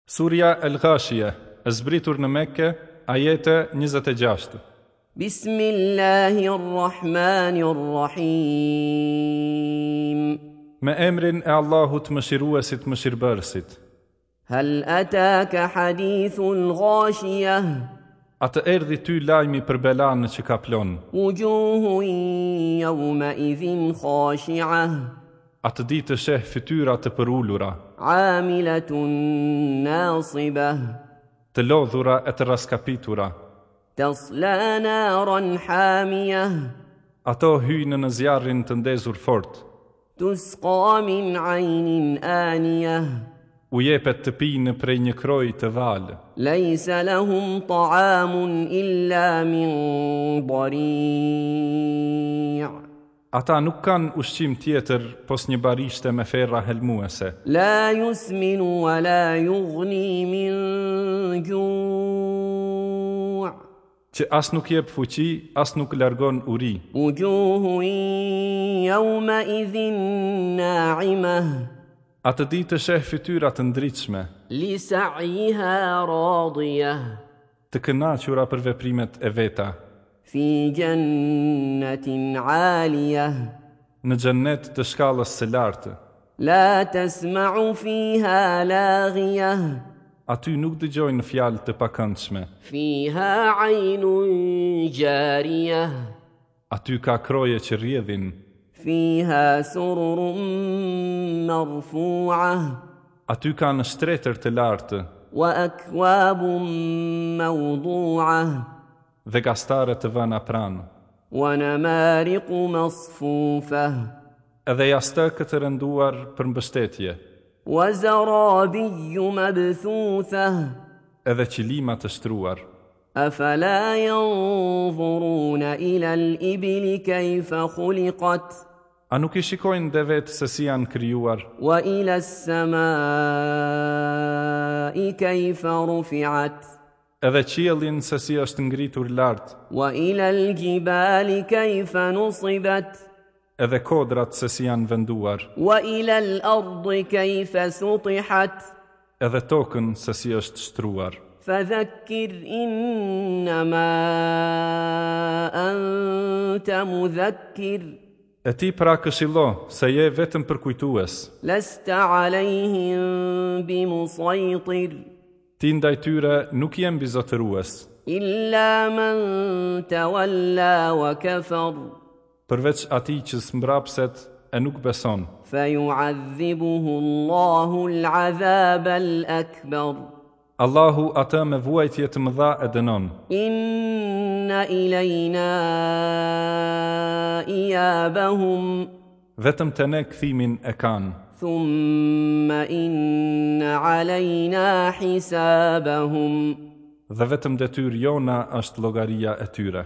Surja El-Ghashije, e zbritur në Mekke, ajete 26. Bismillahirrahmanirrahim. Me emrin e Allahut Mëshiruesit Mëshirbërësit. Hal ataka hadithul ghashiyah? A të erdhi ty lajmi për belanë që kaplon? Wujuhun yawma idhin khashi'ah. Atë ditë sheh fytyra të përulura. Amilatun nasibah. Të lodhura e të rraskapitura. Tasla naran hamiyah. Ato hyjnë në zjarrin të ndezur fort. Tusqa min aynin aniyah. U jepet të pinë prej një kroi të valë. Laysa lahum ta'amun illa min dari'. Ata nuk kanë ushqim tjetër pos një barishte me ferra helmuese. La yusminu wa la yughni min ju'. Që as nuk jep fuqi, as nuk largon uri. Wujuhun yawma idhin na'imah. Atë ditë sheh fytyra të ndritshme. Li sa'yiha radiyah. Të kënaqura për veprimet e veta. Fi jannatin 'aliyah. Në xhennet të shkallës së lartë. La tasma'u fiha laghiyah. Aty nuk dëgjojnë fjalë të pakëndshme. Fiha 'aynun jariyah. Aty ka kroje që rrjedhin. Fiha sururun marfu'ah. Aty kanë shtretër të lartë. Wa akwabun mawdu'ah. Dhe gastare të vëna pranë. Wa namariqu masfufah. Edhe jastëkë të renduar për mbështetje. Wa zarabiyyu mabthuthah. Edhe qilima të shtruar. Afala yanzuruna ila al-ibli kayfa khuliqat. A nuk i shikojnë devetë se si janë krijuar? Wa ila as-samai kayfa rufi'at. Edhe qiellin se si është ngritur lart. Wa ila al-jibali kayfa nusibat. Edhe kodrat se si janë venduar. Wa ila al-ardi kayfa sutihat. Edhe tokën se si është shtruar. Fadhakkir innama anta mudhakkir. E ti pra këshillo, se je vetëm përkujtues. Lasta alejhim bimusajtir. Ti ndaj tyre nuk je mbizotërues. Illa man tawalla wa kafar. Përveç atij që zmbrapset e nuk beson. Fa yu'adhibuhu Allahu al-'adhab al-akbar. Allahu atë me vuajtje të mëdha e dënon. Inna ilayna iyabahum. Vetëm te ne kthimin e kanë. Thumma inna alejna hisabahum. Dhe vetëm detyrë jona është llogaria e tyre.